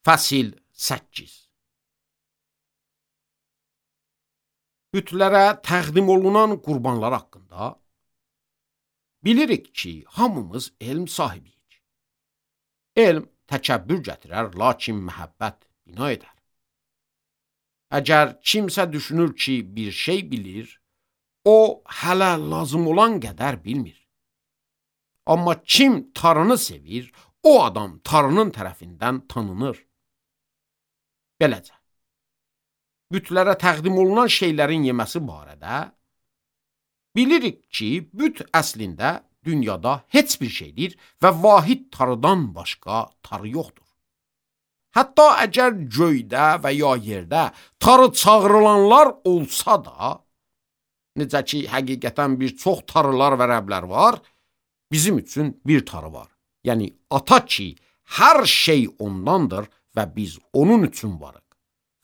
Fəsil 8. Bütlərə təqdim olunan qurbanlar haqqında bilirik ki, hamımız elm sahibiyik. Elm təkəbbür gətirər, lakin məhəbbət bina edər. Əgər kimsə düşünür ki, bir şey bilir, o hələ lazım olan qədər bilmir. Amma kim tarını sevir, o adam tarının tərəfindən tanınır. Beləcə, bütlərə təqdim olunan şeylərin yeməsi barədə bilirik ki, büt əslində dünyada heç bir şeydir və vahid tarıdan başqa tarı yoxdur. Hətta əgər göydə və ya yerdə tarı çağırılanlar olsa da, necə ki, həqiqətən bir çox tarılar və rəblər var, bizim üçün bir tarı var. Yəni, ata ki, hər şey ondandır və biz onun üçün varıq.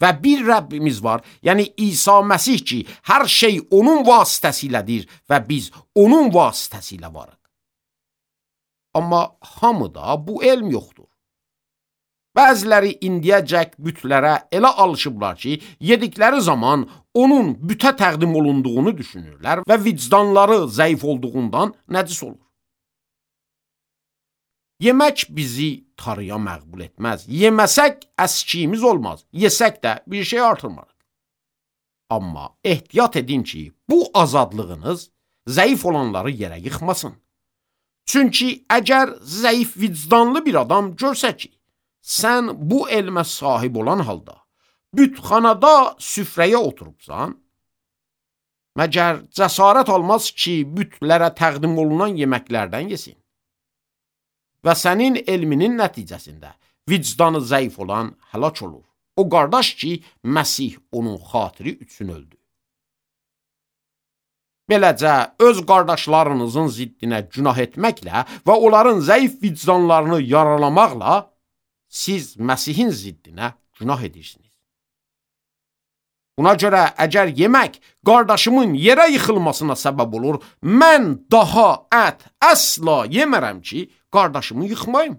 Və bir Rəbbimiz var, yəni İsa Məsih ki, hər şey onun vasitəsilədir və biz onun vasitəsilə varıq. Amma hamıda bu elm yoxdur. Bəziləri indiyəcək bütlərə elə alışıblar ki, yedikləri zaman onun bütə təqdim olunduğunu düşünürlər və vicdanları zəif olduğundan nəcis olur. Yemək bizi tarıya məqbul etməz. Yeməsək əskiyimiz olmaz. Yesək də bir şey artırmarıq. Amma ehtiyat edin ki, bu azadlığınız zəif olanları yerə yıxmasın. Çünki əgər zəif vicdanlı bir adam görsə ki, sən bu elmə sahib olan halda bütxanada süfrəyə oturubsan, məgər cəsarət olmaz ki, bütlərə təqdim olunan yeməklərdən yesin. Və sənin elminin nəticəsində vicdanı zəif olan həlak olur. O qardaş ki, Məsih onun xatiri üçün öldü. Beləcə, öz qardaşlarınızın ziddinə günah etməklə və onların zəif vicdanlarını yaralamaqla siz Məsihin ziddinə günah edirsiniz. Buna görə əgər yemək qardaşımın yerə yıxılmasına səbəb olur, mən daha ət əsla yemərəm ki, qardaşımı yıxmayım.